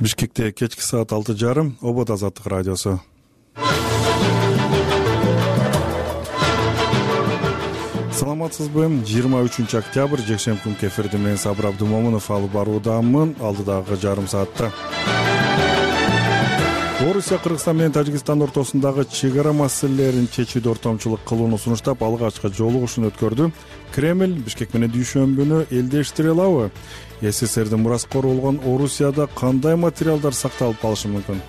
Бишкекте кечки саат 6:30 Обод Азаттык радиосу. Саламатсызбы? 23 октябрь жекшемби күнкү эфирди мен Сабыр Абдумомунов алып баруудамын. Алдыдагы жарым саатта Орусия, Кыргызстан менен Тажикстан ортосундагы чек ара маселелерин чечүүдө ортомчулук кылууну сунуштап, алгачкы жолугушууну өткөрдү. Кремль Бишкек менен дүйшөмбүнү элдештире алабы? СССРдин мураскору болгон Орусияда кандай материалдар сакталып калышы мүмкүн?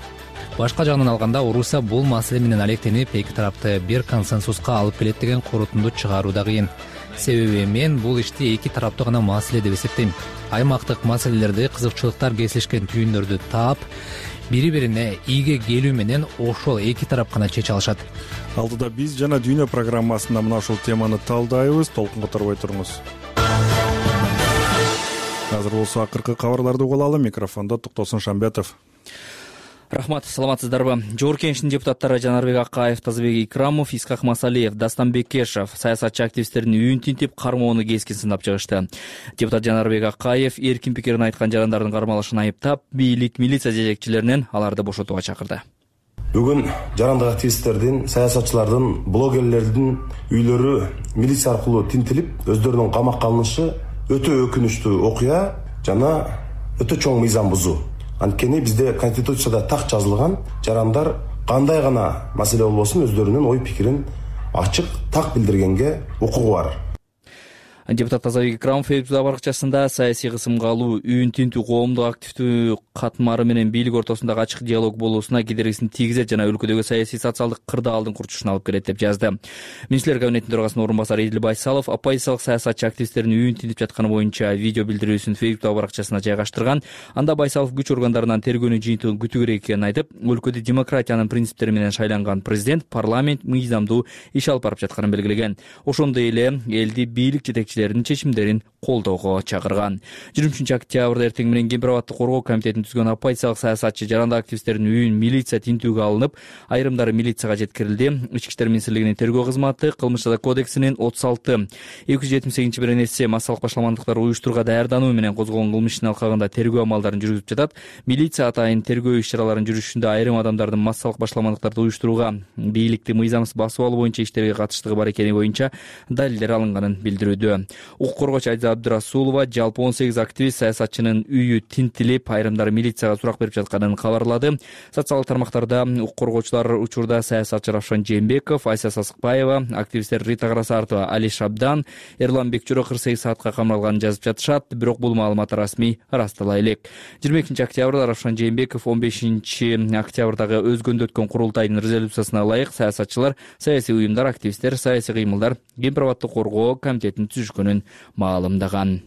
Башка жагынан алганда, Орусия бул маселе менен алектенип, эки тарапты бир консенсуска алып келет деген корутунду чыгаруу да кыйын. Себеби мен бул ишти эки тараптуу гана маселе деп эсептейм. Аймактык маселелерди, кызыкчылыктар кесилишкен түйүндөрдү таап, бири-бирине ийге келүү менен ошол эки тарап гана чече алышат. Алдыда биз жана Дүйнө программасында мына ушул теманы талдайбыз. Толкунга торбой туруңуз. Азыр болсо акыркы кабарларды угуп алалы. Микрофондо Токтосун Шамбетов. Рахмат, саламатсыздарбы? Жогорку Кеңештин депутаттары Жанарбек Акаев, Тазабек Икрамов, Исхак Масалиев, Дастан Бекешев саясатчы активисттердин үйүн тинтип, кармоону кескин сынап чыгышты. Депутат Жанарбек Акаев эркин пикирин айткан жарандардын кармалышын айыптап, бийлик, милиция жетекчилеринен аларды бошотууга чакырды. Бүгүн жарандык активисттердин, саясатчылардын, блогерлердин үйлөрү милиция аркылуу тинтилип, өздөрүнүн камакка алынышы өтө өкүнүчтүү окуя жана өтө чоң мыйзам бузуу. Анткени бизде Конституцияда так жазылган, жарандар кандай гана маселе болбосун өздөрүнүн ой пикирин ачык, так билдиргенге укугу бар. Депутат Тазабек Икрамов Facebook баракчасында саясий кысымга алуу, үйүн тинтүү коомдук активдүү катмары менен бийлик ортосундагы ачык диалог болуусуна кедергисин тийгизет жана өлкөдөгү саясий социалдык кырдаалдын курчушуна алып келет деп жазды. Министрлер кабинетинин төрагасынын орун басары Эдил Байсалов оппозициялык саясатчы активисттердин үйүн тинтип жатканы боюнча видео билдирүүсүн Facebook баракчасына жайгаштырган. Анда Байсалов күч органдарынан тергөөнүн жыйынтыгын күтүү керек экенин айтып, өлкөдө демократиянын принциптери менен шайланган президент, парламент мыйзамдуу иш алып барып жатканын белгилеген. Ошондой эле элди бийлик жетекчилеринин чечимдерин колдоого чакырган. 23 октябрда эртең менен Кемпир абадты коргоо комитетин түзгөн оппозициялык саясатчы жарандык активисттердин үйүн милиция тинтүүгө алынып, айрымдары милицияга жеткирилди. Ички иштер министрлигинин тергөө кызматы кылмыш жаза кодексинин 36-278 беренеси массалык башаламандыктар уюштурууга даярдануу менен козголгон кылмыш ишинин алкагында тергөө амалдарын жүргүзүп жатат. Милиция атайын тергөө иш-чараларын жүрүшүндө айрым адамдардын массалык башаламандыктарды уюштурууга, бийликти мыйзамсыз басып алуу боюнча иштерге катыштыгы бар экени боюнча далилдер алынганын билдирүүдө. Укук коргоочу Айза Абдырасулова жалпы 18 активист саясатчынын үйү тинтилип, айрымдары милицияга сурак берип жатканын кабарлады. Социалдык тармактарда укук коргоочулар учурда саясатчы Равшан Жээнбеков, Айса Сасыкбаева, активисттер Рита Карасартова, Али Шабдан, Эрлан Бекчөрө 48 саатка камалганын жазып жатышат. Бирок бул маалымат расмий ырастала элек. 22 октябрда Равшан Жээнбеков 15 октябрдагы өзгөндө өткөн курултайдын резолюциясына ылайык саясатчылар, саясий уюмдар, активисттер, саясий кыймылдар Кемпир абадты коргоо комитетин түзүшкөнүн маалымдаган.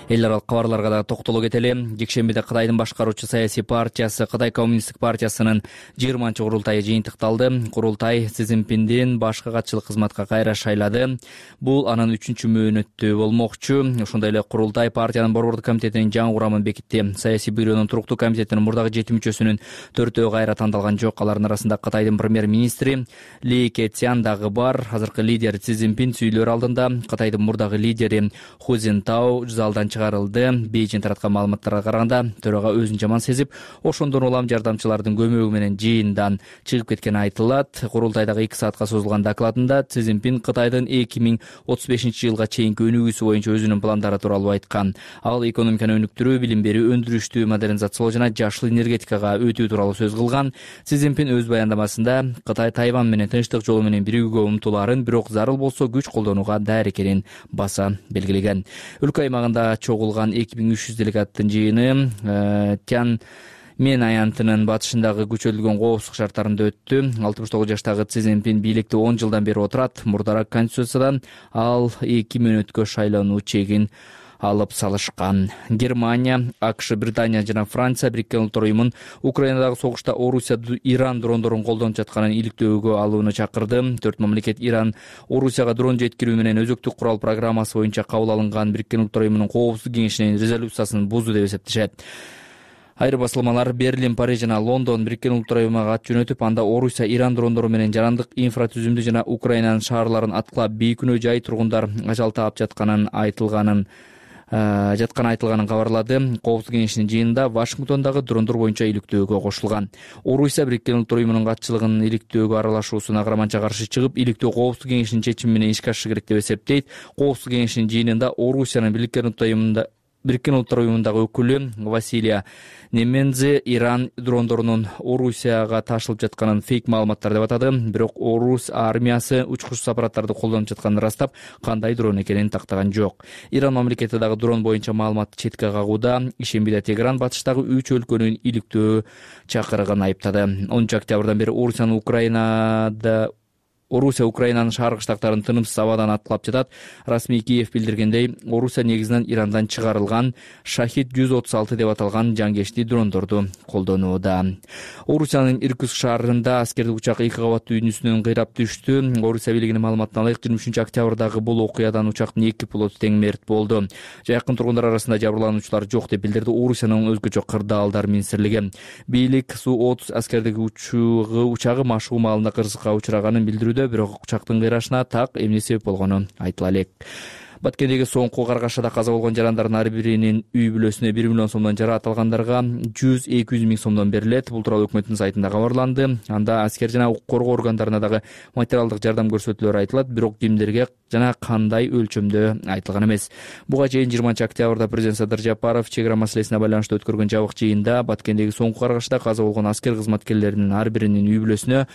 Эл аралык кабарларга да токтоло кетели. Жекшембиде Кытайдын башкаруучу саясий партиясы, Кытай коммунисттик партиясынын 20-чы курултайы жыйынтыкталды. Курултай Си Цзиньпиндин башкы катчылык кызматка кайра шайлады. Бул анын 3-чү мөөнөтү болмокчу. Ошондой эле курултай партиянын борбордук комитетинин жаңы курамын бекитти. Саясий бюронун туруктуу комитетинин мурдагы 7 мүчөсүнүн 4-өө кайра тандалган жок. Алардын арасында Кытайдын премьер-министри Ли Кэцян дагы бар. Азыркы лидер Си Цзиньпин сүйлөр алдында Кытайдын мурдагы лидери Ху Цзинтао залдан чыгарылды. Бейжин тараткан маалыматтарга караганда, төрага өзүн жаман сезип, ошондон улам жардамчылардын көмөгү менен жыйындан чыгып кеткени айтылат. Курултайдагы 2 саатка созулган докладында Си Цзиньпин Кытайдын 2035-жылга чейинки өнүгүүсү боюнча өзүнүн пландары тууралуу айткан. Ал экономиканы өнүктүрүү, билим берүү, өндүрүштү модернизациялоо жана жашыл энергетикага өтүү тууралуу сөз кылган. Си Цзиньпин өз баяндамасында Кытай Тайвань менен тынчтык жолу менен биригүүгө умтулаарын, бирок зарыл болсо күч колдонууга даяр экенин баса белгилеген. Өлкө аймагында чогулган 2300 делегаттын жыйыны Тяньмен аянтынын батышындагы күчөтүлгөн коопсуздук шарттарында өттү. 69 жаштагы Си Цзиньпин бийликте 10 жылдан бери отурат. Мурдараак конституциядан ал 2 мөөнөткө шайлануу чегин алып салышкан. Германия, АКШ, Британия жана Франция Бириккен Улуттар уюмун Украинадагы согушта Орусия Иран дрондорун колдонуп жатканын иликтөөгө алууну чакырды. 4 мамлекет Иран Орусияга дрон жеткирүү менен өзөктүк курал программасы боюнча кабыл алынган Бириккен Улуттар уюмунун коопсуздук кеңешинин резолюциясын бузду деп эсептешет. Айрым басылмалар Берлин, Париж жана Лондон Бириккен Улуттар уюмуна ат жөнөтүп, анда Орусия Иран дрондору менен жарандык инфратүзүмдү жана Украинанын шаарларын аткылап бейкүнөө жай тургундар ажал таап жатканын айтылганын жатканы айтылганын кабарлады. Коопсуздук кеңешинин жыйынында Вашингтондагы дрондор боюнча иликтөөгө кошулган. Орусия Бириккен Улуттар Уюмунун катчылыгынын иликтөөгө аралашуусуна карманча каршы чыгып, иликтөө Коопсуздук кеңешинин чечими менен ишке ашышы керек деп эсептейт. Коопсуздук кеңешинин жыйынында Орусиянын Бириккен Улуттар Уюмундагы өкүлү Василия Немензе Иран дрондорунун Орусияга ташылып жатканын фейк маалыматтар деп атады. Бирок Орус армиясы учкучсуз аппараттарды колдонуп жатканын ырастап, кандай дрон экенин тактаган жок. Иран мамлекети дагы дрон боюнча маалыматты четке кагууда. Ишембиде Тегеран батыштагы 3 өлкөнүн иликтөө чакырыгын айыптады. 10 октябрдан бери Орусия Украинанын шааркы штаттарын тынымсыз абадан аткылап жатат. Расмий Киев билдиргендей, Орусия негизинен Ирандан чыгарылган Шахид 136 деп аталган жангечти дрондорду колдонууда. Орусиянын Иркутск шаарында аскердик учак 2 кабаттуу үйнүсүнөн кыйрап түштү. Орусия бийлигинин маалыматына ылайык 23 октябрдагы бул окуядан учактын 2 пилоту тең мерт болду. Жакын тургундар арасында жабырлануучулар жок деп билдирди Орусиянын өзгөчө кырдаалдар министрлиги. Бийлик Су-30 аскердик учагы машыгуу маалында кырсыкка учраганын билдирүүдө, бирок учактын кыйрашына так эмне себеп болгону айтыла элек. Баткендеги соңку каргашада каза болгон жарандардын ар биринин үй бүлөсүнө 1 миллион сомдон жара, аталгандарга 100-200 миң сомдон берилет. Бул тууралуу өкмөттүн сайтында кабарланды. Анда аскер жана укук коргоо органдарына дагы материалдык жардам көрсөтүүлөрү айтылат, бирок кимдерге жана кандай өлчөмдө айтылган эмес. Буга чейин 20 октябрда президент Садыр Жапаров чек ара маселесине байланыштуу өткөргөн жабык жыйында Баткендеги соңку каргашада каза болгон аскер кызматкерлеринин ар биринин үй бүлөсүнө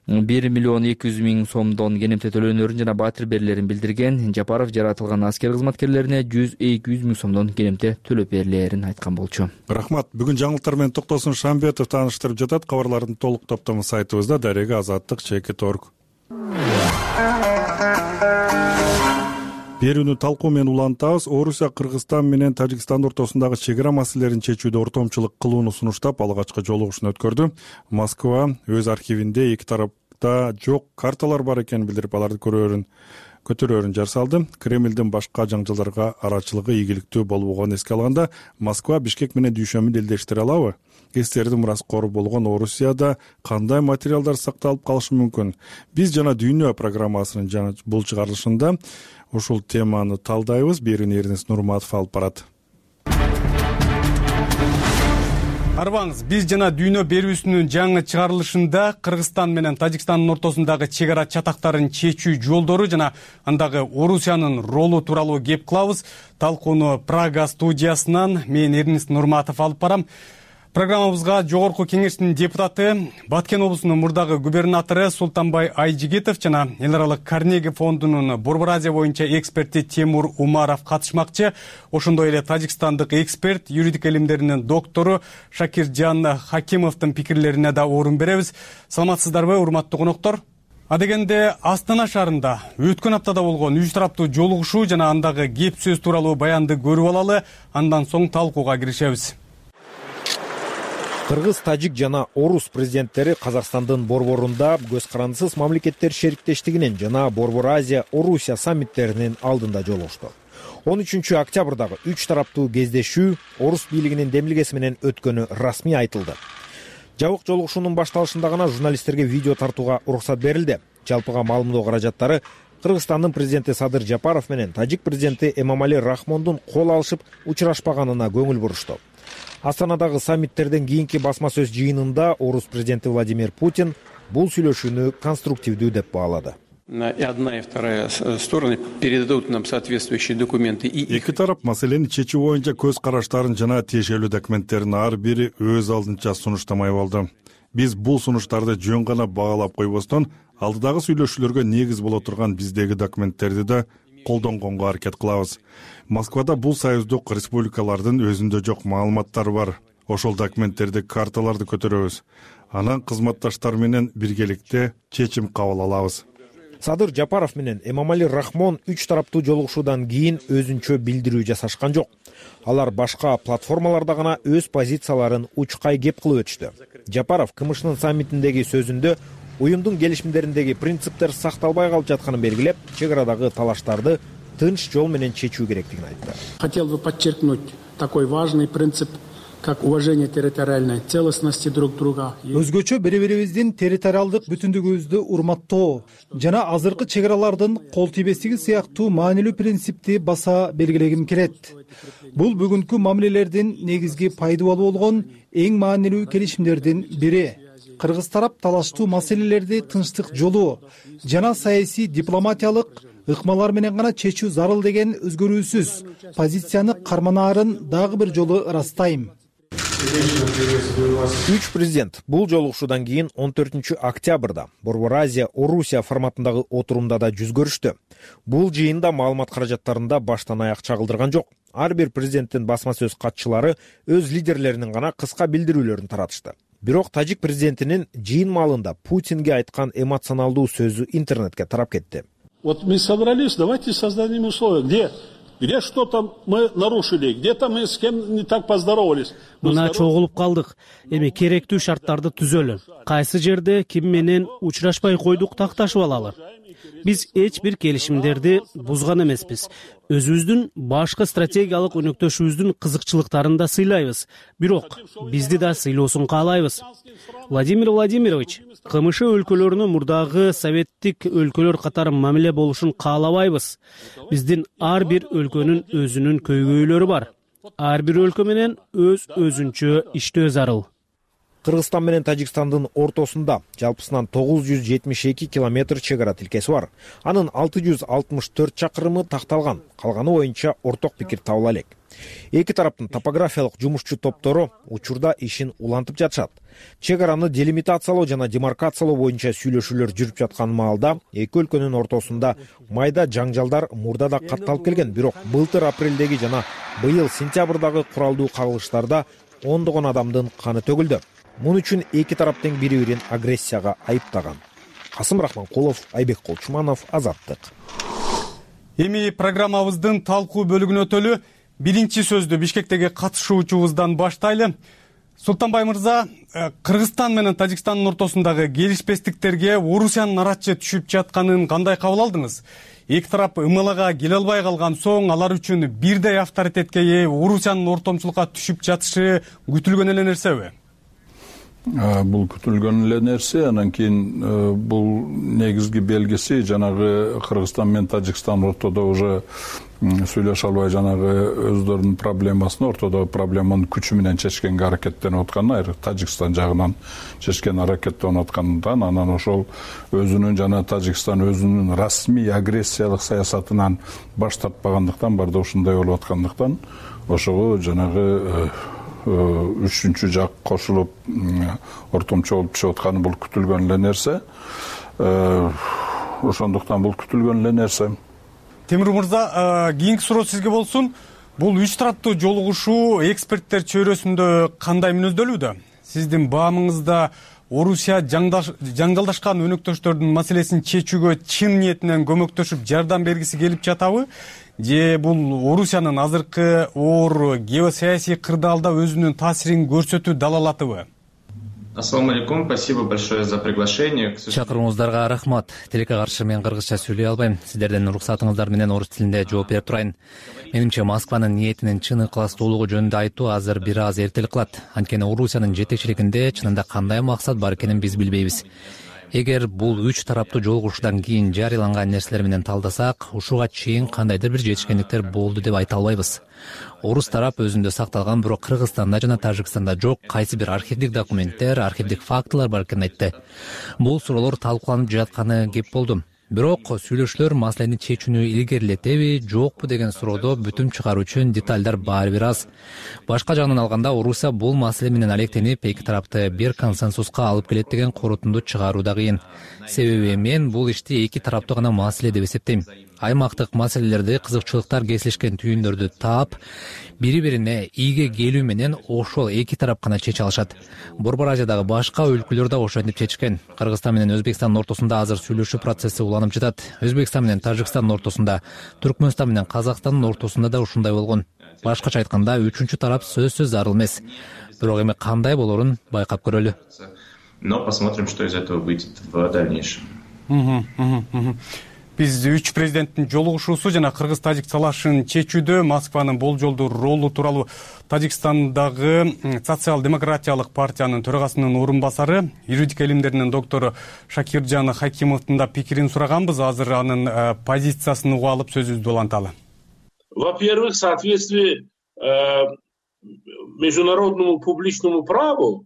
1 миллион 200 миң сомдон кенемте төлөөнөрүн жана батир берилерин билдирген. Жапаров жаратылган аскер кызматкерлерине 100-200 миң сомдон кенемте төлөп берилерин айткан болчу. Рахмат. Бүгүн жаңылыктар менен Токтосун Шамбетов тааныштырып жатат. Кабарлардын толук топтому сайтыбызда Дарега Азаттык.org. Берүүнү талкуу менен улантабыз. Орусия Кыргызстан менен Тажикстан ортосундагы чек ара маселелерин чечүүдө ортомчулук кылууну сунуштап, алгачкы жолугушууну өткөрдү. Москва өз архивинде эки тарапта жок карталар бар экенин билдирип, аларды көтөрөөрүн жар салды. Кремлдин башка жаңжалдарга арачылыгы ийгиликтүү болбогонун эске алганда, Москва Бишкек менен дүйшөмүн элдештире алабы? Эстердин мураскору болгон Орусияда кандай материалдар сакталып калышы мүмкүн? Биз жана дүйнө программасынын бул чыгарылышында ушул теманы талдайбыз. Берүүнү Эрнест Нурматов алып барат. Арбаңыз, биз жана дүйнө берүүсүнүн жаңы чыгарылышында Кыргызстан менен Тажикстандын ортосундагы чек ара чатактарын чечүү жолдору жана андагы Орусиянын ролу тууралуу кеп кылабыз. Талкууну Прага студиясынан мен Эрнест Нурматов алып барам. Программабызга Жогорку Кеңештин депутаты, Баткен облусунун мурдагы губернатору Султанбай Айжигитов жана Эл аралык Карнеги фондунун Борбор Азия боюнча эксперти Тимур Умаров катышмакчы. Ошондой эле тажикстандык эксперт, юридика илимдеринин доктору Шакиржан Хакимовдун пикирлерине да орун беребиз. Саламатсыздарбы, урматтуу коноктор? Адегенде Астана шаарында өткөн аптада болгон 3 тараптуу жолугушуу жана андагы кеп сөз тууралуу баянды көрүп алалы, андан соң талкууга киришебиз. Кыргыз, тажик жана орус президенттери Казакстандын борборунда көз карандысыз мамлекеттер шериктештигинин жана Борбор Азия Орусия саммиттеринин алдында жолугушту. 13 октябрдагы 3 тараптуу кездешүү орус бийлигинин демилгеси менен өткөнү расмий айтылды. Жабык жолугушуунун башталышында гана журналисттерге видео тартууга уруксат берилди. Жалпыга маалымдоо каражаттары Кыргызстандын президенти Садыр Жапаров менен тажик президенти Эмомали Рахмондун кол алышып учурашпаганына көңүл бурушту. Астанадагы саммиттерден кийинки басма сөз жыйынында орус президенти Владимир Путин бул сүйлөшүүнү конструктивдүү деп баалады. И одна и вторая стороны передадут нам соответствующие документы. Эки тарап маселени чечүү боюнча көз караштарын жана тиешелүү документтерин ар бири өз алдынча сунуштамай болду. Биз бул сунуштарды жөн гана баалап койбостон, алдыдагы сүйлөшүүлөргө негиз боло турган биздеги документтерди да колдонгонго аракет кылабыз. Москвада бул союздук республикалардын өзүндө жок маалыматтар бар. Ошол документтерди, карталарды көтөрөбүз. Анан кызматташтар менен биргеликте чечим кабыл алабыз. Садыр Жапаров менен Эмомали Рахмон 3 тараптуу жолугушуудан кийин өзүнчө билдирүү жасашкан жок. Алар башка платформаларда гана өз позицияларын учкай кеп кылып өтүштү. Жапаров КМШнын саммитиндеги сөзүндө уюмдун келишимдериндеги принциптер сакталбай калып жатканын белгилеп, чек арадагы талаштарды тынч жол менен чечүү керектигин айтты. Хотел бы подчеркнуть такой важный принцип как уважение территориальной целостности друг друга. Өзгөчө бири-бирибиздин территориалдык бүтүндүгүбүздү урматтоо жана азыркы чек аралардын кол тийбестиги сыяктуу маанилүү принципти баса белгилегим келет. Бул бүгүнкү мамилелердин негизги пайдубалы болгон эң маанилүү келишимдердин бири. Кыргыз тарап талаштуу маселелерди тынчтык жолу жана саясий дипломатиялык ыкмалар менен гана чечүү зарыл деген өзгөрүүсүз позицияны карманаарын дагы бир жолу ырастайм. Үч президент бул жолугушуудан кийин 14-октябрда Борбор Азия Орусия форматындагы отурумда да жүз көрүштү. Бул жыйында маалымат каражаттарында баштан аяк чагылдырган жок. Ар бир президенттин басма сөз катчылары өз лидерлеринин гана кыска билдирүүлөрүн таратышты. Бирок тажик президентинин жыйын маалында Путинге айткан эмоционалдуу сөзү интернетке тарап кетти. Вот мы собрались, давайте создадим условия. Где что-то мы нарушили, где-то мы с кем не так поздоровались. Мына чогулуп калдык. Эми керектүү шарттарды түзөлү. Кайсы жерде ким менен учурашпай койдук такташып алалы. Биз эч бир келишимдерди бузган эмеспиз. Өзүбүздүн башкы стратегиялык өнөктөшүбүздүн кызыкчылыктарын да сыйлайбыз. Бирок бизди да сыйлоосун каалайбыз. Владимир Владимирович, КМШ өлкөлөрүнө мурдагы советтик өлкөлөр катары мамиле болушун каалабайбыз. Биздин ар бир өлкөнүн өзүнүн көйгөйлөрү бар. Ар бир өлкө менен өзүнчө иштөө зарыл. Кыргызстан менен Тажикстандын ортосунда жалпысынан 972 километр чек ара тилкеси бар. Анын 664 чакырымы такталган, калганы боюнча орток пикир табыла элек. Эки тараптын топографиялык жумушчу топтору учурда ишин улантып жатышат. Чек араны делимитациялоо жана демаркациялоо боюнча сүйлөшүүлөр жүрүп жаткан маалда эки өлкөнүн ортосунда майда жаңжалдар мурда да катталып келген. Бирок былтыр апрелдеги жана быйыл сентябрдагы куралдуу кагылыштарда ондогон адамдын каны төгүлдү. Мун үчүн эки тарап тең бири-бирин агрессияга айыптаган. Касым Рахманкулов, Айбек Колчуманов, Азаттык. Эми программабыздын талкуу бөлүгүнө өтөлү. Биринчи сөздү Бишкектеги катышуучубуздан баштайлы. Султанбай мырза, Кыргызстан менен Тажикстандын ортосундагы келишпестиктерге Орусиянын арачы түшүп жатканын кандай кабыл алдыңыз? Эки тарап ымылага келе албай калган соң алар үчүн бирдей авторитетке ээ Орусиянын ортомчулукка түшүп жатышы күтүлгөн эле нерсеби? Бул күтүлгөн эле нерсе. Анан кийин бул негизги белгиси жанагы Кыргызстан менен Тажикстан ортодо уже сүйлөшө албай жанагы өздөрүнүн проблемасын ортодогу проблеманын күчү менен чечкенге аракеттенип атканы, Тажикстан жагынан чечкен аракеттенип аткандан анан ошол өзүнүн жана Тажикстан өзүнүн расмий агрессиялык саясатынан баш тартпагандыктан барды ушундай болуп аткандыктан ошого жанагы үчүнчү жак кошулуп ортомчу болуп түшүп атканы бул күтүлгөн эле нерсе. Ошондуктан бул күтүлгөн эле нерсе. Темир мырза, кийинки суроо сизге болсун. Бул үч тараптуу жолугушуу эксперттер чөйрөсүндө кандай мүнөздөлүүдө? Сиздин баамыңызда Орусия жаңгалдашкан өнөктөштөрдүн маселесин чечүүгө чын ниетинен көмөктөшүп жардам бергиси келип жатабы? Же бул Орусиянын азыркы оор геосаясий кырдаалда өзүнүн таасирин көрсөтүү далалатыбы? Ассаламу алейкум, спасибо большое за приглашение. Чакырууңуздарга рахмат. Тилекке каршы мен кыргызча сүйлөй албайм. Сиздердин уруксатыңыздар менен орус тилинде жооп берип турайын. Менимче Москванын ниетинин чын ыкластуулугу жөнүндө айтуу азыр бир аз эртелик кылат. Анткени Орусиянын жетекчилигинде чынында кандай максат бар экенин биз билбейбиз. Эгер бул үч тараптуу жолугушуудан кийин жарыяланган нерселер менен талдасак, ушуга чейин кандайдыр бир жетишкендиктер болду деп айта албайбыз. Орус тарап өзүндө сакталган, бирок Кыргызстанда жана Тажикстанда жок кайсы бир архивдик документтер, архивдик фактылар бар экенин айтты. Бул суроолор талкууланып жатканы кеп болду. Бирок сүйлөшүүлөр маселени чечүүнү илгерилетеби, жокпу деген суроодо бүтүм чыгаруу үчүн детальдар баары бир аз. Башка жагынан алганда Орусия бул маселе менен алектенип эки тарапты бир консенсуска алып келет деген корутунду чыгаруу да кыйын. Себеби мен бул ишти эки тараптуу гана маселе деп эсептейм. Аймактык маселелерди, кызыкчылыктар кесилишкен түйүндөрдү таап, бири-бирине ийге келүү менен ошол эки тарап гана чече алышат. Борбор Азиядагы башка өлкөлөр да ошентип чечкен. Кыргызстан менен Өзбекстандын ортосунда азыр сүйлөшүү процесси уланып жатат. Өзбекстан менен Тажикстандын ортосунда, Түркмөнстан менен Казакстандын ортосунда да ушундай болгон. Башкача айтканда, үчүнчү тарап сөзсүз зарыл эмес. Бирок эми кандай болорун байкап көрөлү. Но посмотрим, что из этого выйдет в дальнейшем. Биз үч президенттин жолугушуусу жана кыргыз-тажик талашын чечүүдө Москванын болжолдуу ролу тууралуу Тажикстандагы социал-демократиялык партиянын төрагасынын орун басары, юридика илимдеринин доктору Шакиржан Хакимовдун да пикирин сураганбыз. Азыр анын позициясын угуп алып сөзүбүздү уланталы. Во-первых, в соответствии международному публичному праву.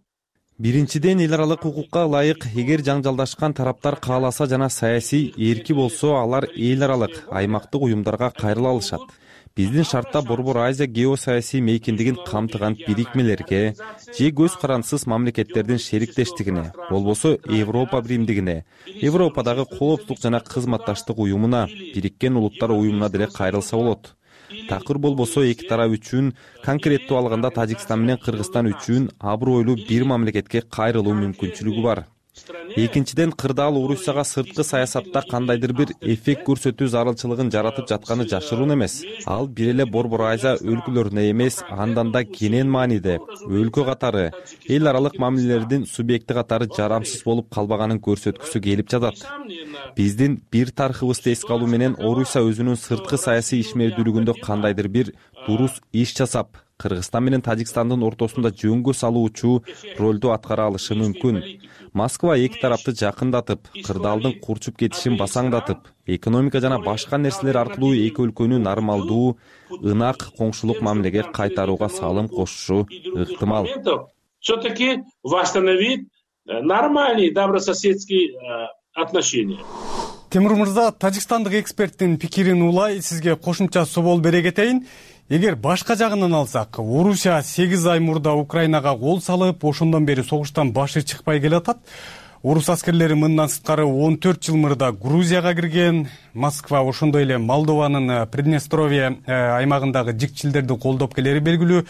Биринчиден, эл аралык укукка ылайык, эгер жаңжалдашкан тараптар кааласа жана саясий эрки болсо, алар эл аралык, аймактык уюмдарга кайрыла алышат. Биздин шартта Борбор Азия геосаясий мейкиндигин камтыган бирикмелерге же көз карандысыз мамлекеттердин шериктештигине, болбосо Европа биримдигине, Европадагы коопсуздук жана кызматташтык уюмуна, Бириккен Улуттар уюмуна деле кайрылса болот. Такыр болбосо эки тарап үчүн, конкреттүү алганда Тажикстан менен Кыргызстан үчүн абройлуу бир мамлекетке кайрылуу мүмкүнчүлүгү бар. Экинчиден, кырдаал Орусияга сырткы саясатта кандайдыр бир эффект көрсөтүү зарылчылыгын жаратып жатканы жашыруун эмес. Ал бир эле Борбор Азия өлкөлөрүнө эмес, андан да кенен мааниде өлкө катары, эл аралык мамилелердин субъекти катары жарамсыз болуп калбаганын көрсөткүсү келип жатат. Биздин бир тарыхыбызды эске алуу менен Орусия өзүнүн сырткы саясий ишмердүүлүгүндө кандайдыр бир дурус иш жасап, Кыргызстан менен Тажикстандын ортосунда жөнгө салуучу ролду аткара алышы мүмкүн. Москва эки тарапты жакындатып, кырдаалдын курчуп кетишин басаңдатып, экономика жана башка нерселер аркылуу эки өлкөнү нормалдуу, ынак коңшулук мамилеге кайтарууга салым кошушу ыктымал. Все-таки восстановить нормальные добрососедские отношения. Темур мырза, тажикстандык эксперттин пикирин улай сизге кошумча собол бере кетейин. Эгер башка жагынан алсак, Орусия 8 ай мурда Украинага кол салып, ошондон бери согуштан башы чыкпай келатат. Орус аскерлери мындан сырткары 14 жыл мурда Грузияга кирген. Москва ошондой эле Молдованын Приднестровье аймагындагы жикчилдерди колдоп келери белгилүү.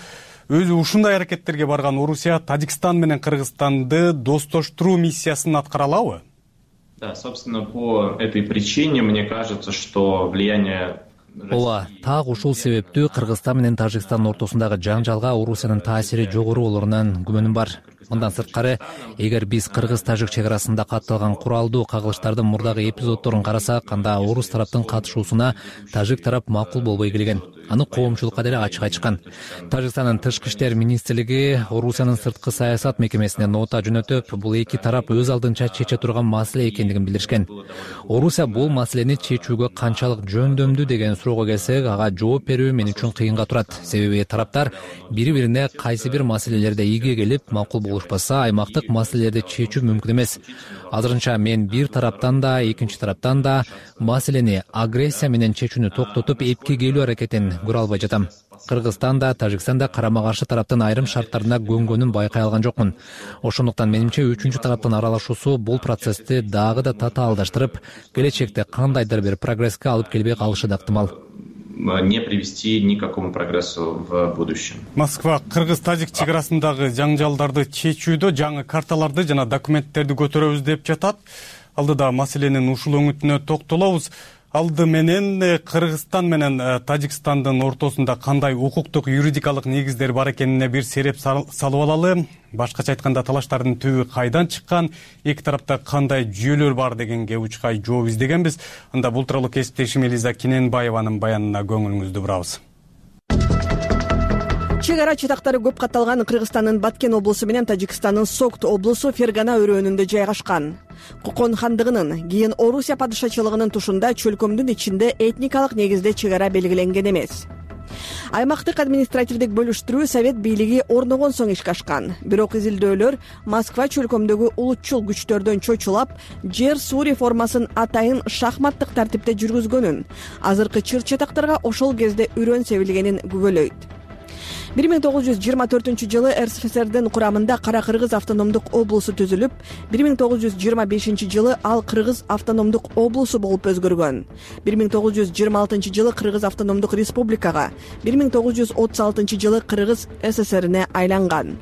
Өзү ушундай аракеттерге барган Орусия Тажикстан менен Кыргызстанды достоштуруу миссиясын аткара алабы? Да, собственно, по этой причине мне кажется, что влияние... Ооба, так ушул себептүү Кыргызстан менен Тажикстандын ортосундагы жаңжалга Орусиянын таасири жогору болорунан күмөнүм бар. Мындан сырткары, эгер биз кыргыз-тажик чек арасында катталган куралдуу кагылыштардын мурдагы эпизоддорун карасак, анда орус тараптын катышуусуна тажик тарап макул болбой келген. Аны коомчулукка деле ачык айтышкан. Тажикстандын тышкы иштер министрлиги Орусиянын сырткы саясат мекемесине нота жөнөтүп, бул эки тарап өз алдынча чече турган маселе экендигин билдиришкен. Орусия бул маселени чечүүгө канчалык жөндөмдүү деген суроого келсек, ага жооп берүү мен үчүн кыйынга турат. Себеби тараптар бири-бирине кайсы бир маселелерде ийге келип макул болушпаса, аймактык маселелерди чечүү мүмкүн эмес. Азырынча мен бир тараптан да, экинчи тараптан да маселени агрессия менен чечүүнү токтотуп, эпке келүү аракетин көрө албай жатам. Кыргызстан да, Тажикстан да карама-каршы тараптын айрым шарттарына көнгөнүн байкай алган жокмун. Ошондуктан менимче үчүнчү тараптын аралашуусу бул процессти дагы да татаалдаштырып, келечекте кандайдыр бир прогресске алып келбей калышы да ыктымал. Не привести ни к какому прогрессу в будущем. Москва кыргыз-тажик чек арасындагы жаңжалдарды чечүүдө жаңы карталарды жана документтерди көтөрөбүз деп жатат. Алдыда маселенин ушул өңүтүнө токтолобуз. Алды менен Кыргызстан менен Тажикстандын ортосунда кандай укуктук юридикалык негиздер бар экенине бир сереп салып алалы. Башкача айтканда, талаштардын түбү кайдан чыккан, эки тарапта кандай жүйөлөр бар дегенге учкай жооп издегенбиз. Анда бул тууралуу кесиптешим Элиза Кененбаеванын баянына көңүлүңүздү бурабыз. Чек ара чатактары көп катталган Кыргызстандын Баткен облусу менен Тажикстандын Согт облусу Фергана өрөөнүндө жайгашкан. Кокон хандыгынын, кийин Орусия падышачылыгынын тушунда чөлкөмдүн ичинде этникалык негизде чек ара белгиленген эмес. Аймактык административдик бөлүштүрүү Совет бийлиги орногон соң ишке ашкан. Бирок изилдөөлөр Москва чөлкөмдөгү улутчул күчтөрдөн чочулап, жер суу реформасын атайын шахматтык тартипте жүргүзгөнүн, азыркы чыр чатактарга ошол кезде үрөн себилгенин күбөлөйт. 1924-жылы РСФСРдин курамында Кара Кыргыз автономдук облусу түзүлүп, 1925-жылы ал Кыргыз автономдук облусу болуп өзгөргөн. 1926-жылы Кыргыз автономдук республикага, 1936-жылы Кыргыз СССРине айланган.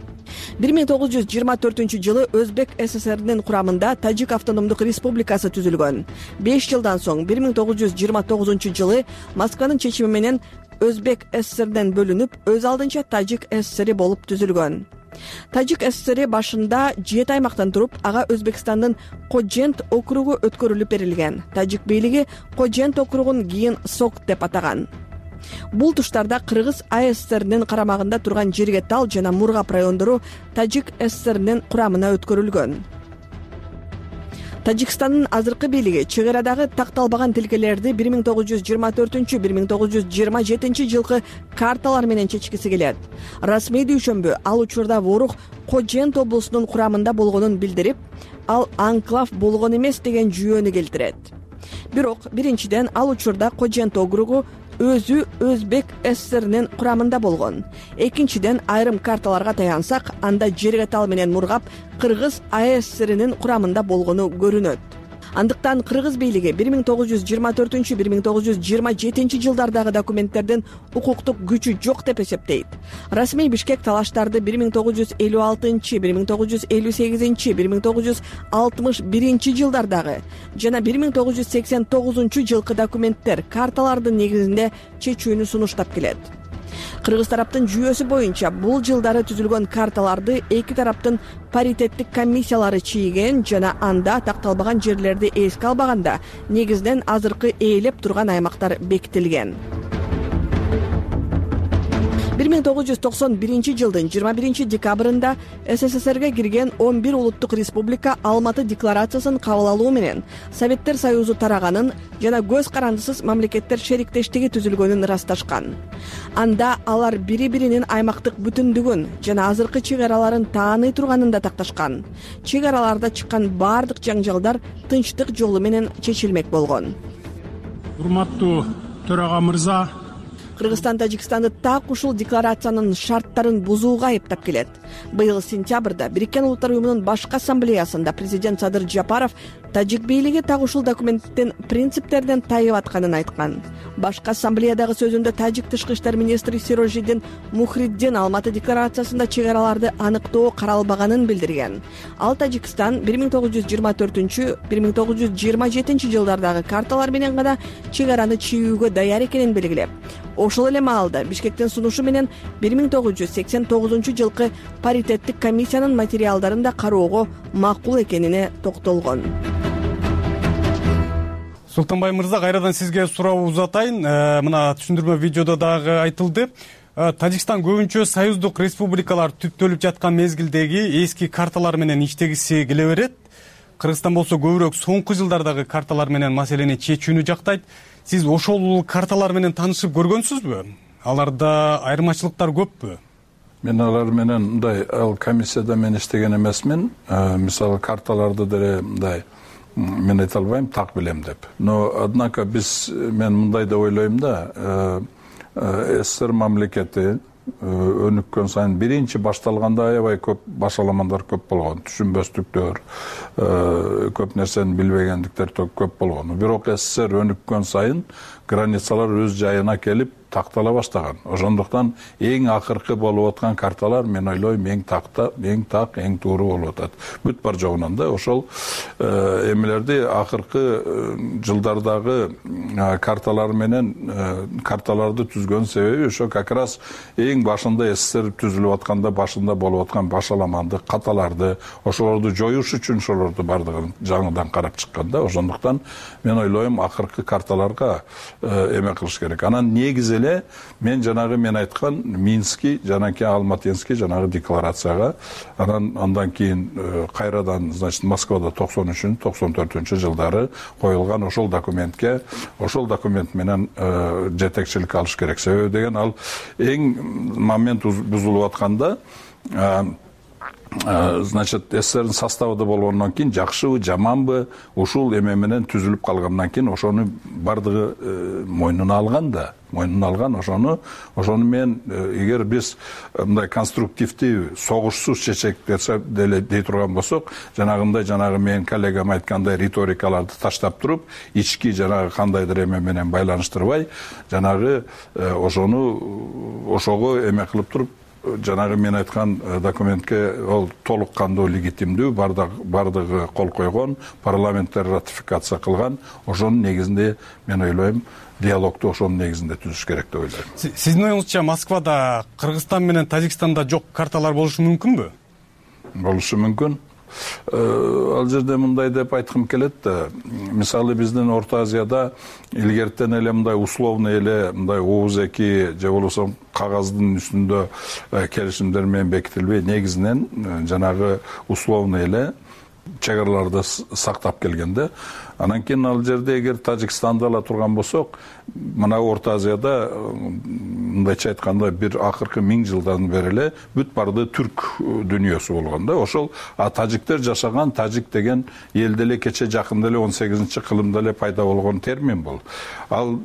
1924-жылы Өзбек СССРинин курамында Тажик автономдук республикасы түзүлгөн. 5 жылдан соң 1929-жылы Москванын чечими менен Өзбек СССРден бөлүнүп, өз алдынча Тажик СССРи болуп түзүлгөн. Тажик ССР башында 7 аймактан туруп, ага Өзбекстандын Кожент округу өткөрүлүп берилген. Тажик бийлиги Кожент округун кийин Согт деп атаган. Бул туштарда Кыргыз АССРнин карамагында турган Жергетал жана Мургап райондору Тажик ССРнин курамына өткөрүлгөн. Тажикстандын азыркы бийлиги чек арадагы такталбаган тилкелерди 1924-1927 жылкы карталар менен чечкиси келет. Расмий дүйшөмбү ал учурда Ворух Кожент облусунун курамында болгонун билдирип, ал анклав болгон эмес деген жүйөнү келтирет. Бирок биринчиден ал учурда Кожент округу өзү Өзбек ССРнин курамында болгон. Экинчиден айрым карталарга таянсак, анда Жергетал менен Мургап Кыргыз АССРнин курамында болгону көрүнөт. Андыктан Кыргыз бийлиги 1924-1927 жылдардагы документтердин укуктук күчү жок деп эсептейт. Расмий Бишкек талаштарды 1956, 1958, 1961 жылдардагы жана 1989 жылкы документтер, карталардын негизинде чечүүнү сунуштап келет. Кыргыз тараптын жүйөсү боюнча бул жылдары түзүлгөн карталарды эки тараптын паритеттик комиссиялары чийген жана анда такталбаган жерлерди эске албаганда негизинен азыркы ээлеп турган аймактар бекитилген. 1991 жылдын 21 декабрында СССРге кирген 11 улуттук республика Алматы декларациясын кабыл алуу менен Советтер Союзу тараганын жана көз карандысыз мамлекеттер шериктештиги түзүлгөнүн ырасташкан. Анда алар бири-биринин аймактык бүтүндүгүн жана азыркы чек араларын тааный турганын да такташкан. Чек араларда чыккан бардык жаңжалдар тынчтык жолу менен чечилмек болгон. Урматтуу төрага мырза, Кыргызстан Тажикстанды так ушул декларациянын шарттарын бузууга айыптап келет. Быйыл сентябрда Бириккен Улуттар уюмунун башкы ассамблеясында президент Садыр Жапаров тажик бийлиги так ушул документтин принциптеринен тайып атканын айткан. Башкы ассамблеядагы сөзүндө тажик тышкы иштер министри Сирожиддин Мухриддин Алматы декларациясында чек араларды аныктоо каралбаганын билдирген. Ал Тажикстан 1924-1927 жылдардагы карталар менен гана чек араны чийүүгө даяр экенин белгилеп, ошол эле маалда Бишкектин сунушу менен 1989 жылкы паритеттик комиссиянын материалдарын да кароого макул экенине токтолгон. Султанбай мырза, кайрадан сизге суроо узатайын. Мына түшүндүрмө видеодо дагы айтылды. Тажикстан көбүнчө союздук республикалар түптөлүп жаткан мезгилдеги эски карталар менен иштегиси келе берет. Кыргызстан болсо көбүрөөк соңку жылдардагы карталар менен маселени чечүүнү жактайт. Сиз ошол карталар менен таанышып көргөнсүзбү? Аларда айырмачылыктар көппү? Мен алар менен мындай комиссияда мен иштеген эмесмин. Мисалы карталарды деле мындай мен айта албайм, так билем деп. Но однако мен мындай деп ойлойм да, СССР мамлекети өнүккөн сайын биринчи башталганда аябай көп башаламандар көп болгон, түшүнбөстүктөр, көп нерсени билбегендиктер көп болгон. Бирок СССР өнүккөн сайын границалар өз жайына келип тактала баштаган. Ошондуктан эң акыркы болуп аткан карталар мен ойлойм эң так, эң туура болуп атат. Бүт бар жогунан да ошол эмелерди акыркы жылдардагы карталар менен карталарды түзгөн себеби ошо как раз эң башында СССР түзүлүп атканда башында болуп аткан башаламандык, каталарды, ошолорду жоюш үчүн ошолорду бардыгын жаңыдан карап чыккан да. Ошондуктан мен ойлойм акыркы карталарга эме кылыш керек. Анан негизи эле мен айткан Минский жана Алматинский жанагы декларацияга, андан кийин кайрадан, значит, Москвада 93-94 жылдары коюлган ошол документ менен жетекчилик алыш керек. Себеби деген ал эң момент бузулуп атканда, значит, СССРдин составында болгондон кийин жакшыбы, жаманбы, ушул эме менен түзүлүп калгандан кийин ошону бардыгы мойнуна алган. Ошону мен эгер биз мындай конструктивдүү, согушсуз чечек дей турган болсок, жанагы менин коллегам айткандай риторикаларды таштап туруп, ички кандайдыр эме менен байланыштырбай, ошого эме кылып туруп жанагы мен айткан документке ол толук кандуу легитимдүү, бардыгы кол койгон, парламенттер ратификация кылган. Ошонун негизинде мен ойлойм диалогду ошонун негизинде түзүш керек деп ойлойм. Сиздин оюңузча Москвада Кыргызстан менен Тажикстанда жок карталар болушу мүмкүнбү? Болушу мүмкүн. Ал жерде мындай деп айткым келет да, мисалы биздин Орто Азияда илгертен эле мындай условный эле мындай ооз-эки же болбосо кагаздын үстүндө келишимдер менен бекитилбей, негизинен жанагы условный эле чек-араларды сактап келгенде, анан кийин ал жерде эгер Тажикстанды ала турган болсок, мына Орто Азияда мындайча айтканда бир акыркы 1000 жылдан бери эле бүт барды түрк дүйнөсү болгон да. Ошол тажиктер жашаган, тажик деген элде эле кече жакында эле 18-кылымда эле пайда болгон термин бул. Ал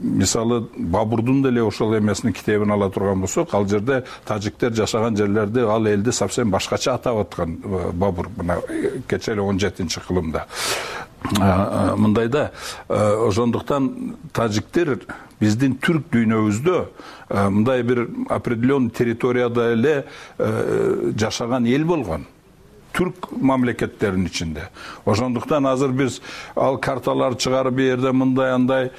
мисалы Бабурдун деле ошол эмесинин китебин ала турган болсок, ал жерде тажиктер жашаган жерлерди, ал элди совсем башкача атап аткан Бабур, мына кече эле 17-кылымда. Мындайда ошондуктан тажиктер биздин түрк дүйнөбүздө мындай бир определенный территорияда эле жашаган эл болгон. Түрк мамлекеттеринин ичинде. Ошондуктан азыр биз ал карталар чыгарып бу жерде мындай андай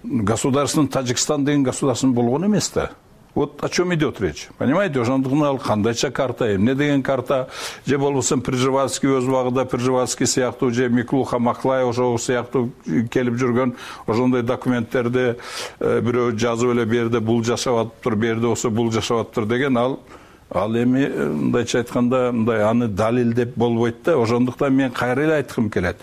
государственный Тажикстан деген государственный болгон эмес да. Вот о чем идет речь, понимаете? Ошондуктан ал кандайча карта, эмне деген карта, же болбосо Пржевальский өз убагында Пржевальский сыяктуу, же Миклуха Маклай ошол сыяктуу келип жүргөн ошондой документтерди бирөө жазып эле бу жерде бул жашап атыптыр, бу жерде болсо бул жашап атыптыр деген ал эми мындайча айтканда мындай аны далилдеп болбойт да. Ошондуктан мен кайра эле айткым келет.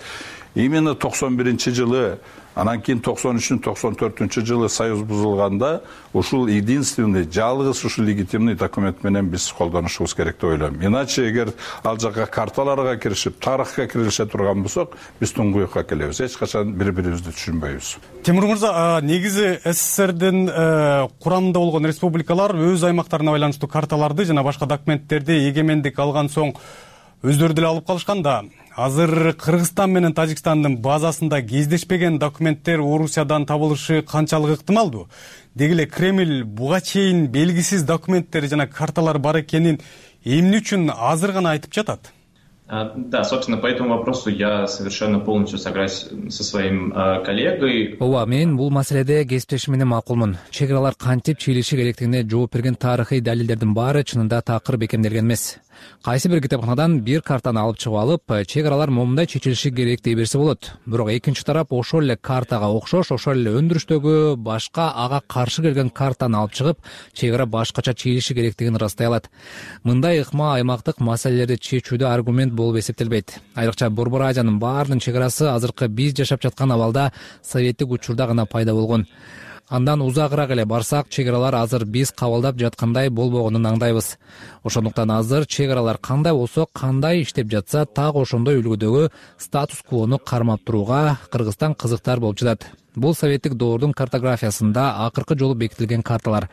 Именно 91-жылы, анан кийин 93-94-жылы союз бузулганда ушул единственный, жалгыз ушул легитимный документ менен биз колдонушубуз керек деп ойлойм. Иначе эгер ал жака карталарга киришип, тарыхка кирилише турган болсок, биз туңгуюкка келебиз. Эч качан бири-бирибизди түшүнбөйбүз. Тимур мырза, негизи СССРдин курамында болгон республикалар өз аймактарына байланыштуу карталарды жана башка документтерди эгемендик алган соң өздөрү деле алып калышкан да. Азыр Кыргызстан менен Тажикстандын базасында кездешпеген документтер Орусиядан табылышы канчалык ыктымалдуу? Деги эле Кремль буга чейин белгисиз документтер жана карталар бар экенин эмне үчүн азыр гана айтып жатат? Да, собственно, по этому вопросу я совершенно полностью согласен со своим коллегой. Ооба, мен бул маселеде кесиптешим менен макулмун. Чек аралар кантип чыйлышы керектигине жооп берген тарыхый далилдердин баары чынында такыр бекемделген эмес. Кайсы бир китепканадан бир картаны алып чыгып алып, чек аралар момундай чечилиши керек дей берсе болот. Бирок экинчи тарап ошол эле картага окшош, ошол эле өндүрүштөгү башка ага каршы келген картаны алып чыгып, чек ара башкача чыйлышы керектигин ырастай алат. Мындай ыкма аймактык маселелерди чечүүдө аргумент болуп эсептелбейт. Айрыкча Борбор Азиянын баарынын чек арасы азыркы биз жашап жаткан абалда советтик учурда гана пайда болгон. Андан узагыраак эле барсак, чек аралар азыр биз кабылдап жаткандай болбогонун аңдайбыз. Ошондуктан азыр чек аралар кандай болсо, кандай иштеп жатса, так ошондой үлгүдөгү статус-квону кармап турууга Кыргызстан кызыктар болуп жатат. Бул советтик доордун картографиясында акыркы жолу бекитилген карталар.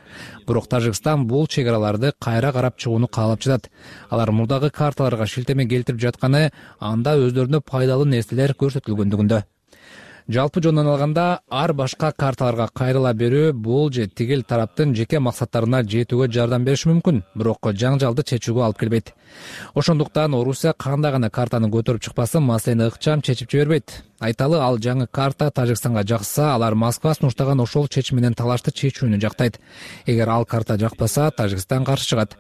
Бирок Тажикстан бул чек араларды кайра карап чыгууну каалап жатат. Алар мурдагы карталарга шилтеме келтирип жатканы анда өздөрүнө пайдалуу нерселер көрсөтүлгөндүгүндө. Жалпы жонунан алганда, ар башка карталарга кайрыла берүү бул же тигил тараптын жеке максаттарына жетүүгө жардам бериши мүмкүн, бирок жаңжалды чечүүгө алып келбейт. Ошондуктан Орусия кандай гана картаны көтөрүп чыкпасын, маселени ыкчам чечип жибербейт. Айталы, ал жаңы карта Тажикстанга жакса, алар Москва сунуштаган ошол чечим менен талашты чечүүнү жактайт. Эгер ал карта жакпаса, Тажикстан каршы чыгат.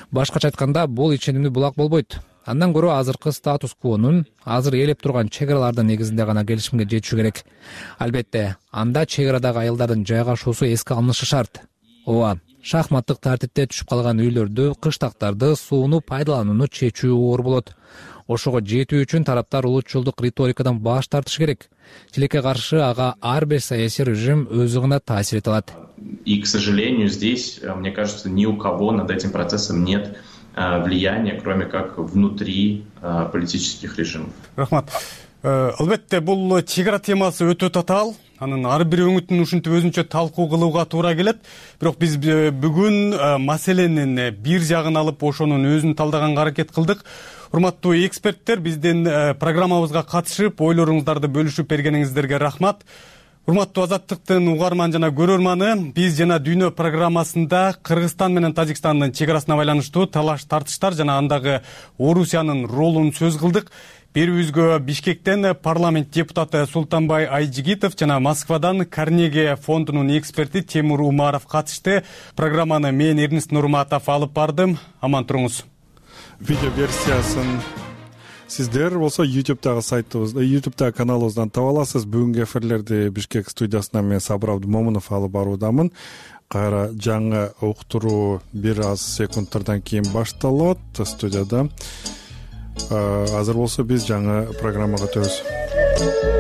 Башкача айтканда, бул иченимдүү булак болбойт. Андан көрө азыркы статус-квонун, азыр ээлеп турган чек аралардын негизинде гана келишимге жетишүү керек. Албетте, анда чек арадагы айылдардын жайгашуусу эске алынышы шарт. Ооба, шахматтык тартипте түшүп калган үйлөрдү, кыштактарды, сууну пайдаланууну чечүү оор болот. Ошого жетүү үчүн тараптар улутчулдук риторикадан баш тартышы керек. Тилекке каршы ага ар бир саясий режим өзү гана таасир эте алат. И, к сожалению, здесь, мне кажется, ни у кого над этим процессом нет влияния, кроме как внутри политических режимов. Рахмат. Албетте, бул чек ара темасы өтө татаал. Анын ар бир өңүтүн ушинтип өзүнчө талкуу кылууга туура келет. Бирок биз бүгүн маселенин бир жагын алып, ошонун өзүн талдаганга аракет кылдык. Урматтуу эксперттер, биздин программабызга катышып, ойлоруңуздарды бөлүшүп бергениңиздерге рахмат. Урматтуу Азаттыктын угарман жана көрөрманы, биз жана Дүйнө программасында Кыргызстан менен Тажикстандын чек арасына байланыштуу талаш тартыштар жана андагы Орусиянын ролун сөз кылдык. Берүүбүзгө Бишкектен парламент депутаты Султанбай Айжигитов жана Москвадан Карнеги фондунун эксперти Темур Умаров катышты. Программаны мен Эрнест Нурматов алып бардым. Аман туруңуз. Видео версиясын сиздер болсо YouTube'дагы сайтыбызда, YouTube'дагы каналыбыздан таба аласыз. Бүгүнкү эфирлерди Бишкек студиясынан мен Сабыр Абдумомунов алып баруудамын. Кайра жаңы уктуруу бир аз секундтардан кийин башталат студияда. Азыр болсо биз жаңы программага өтөбүз.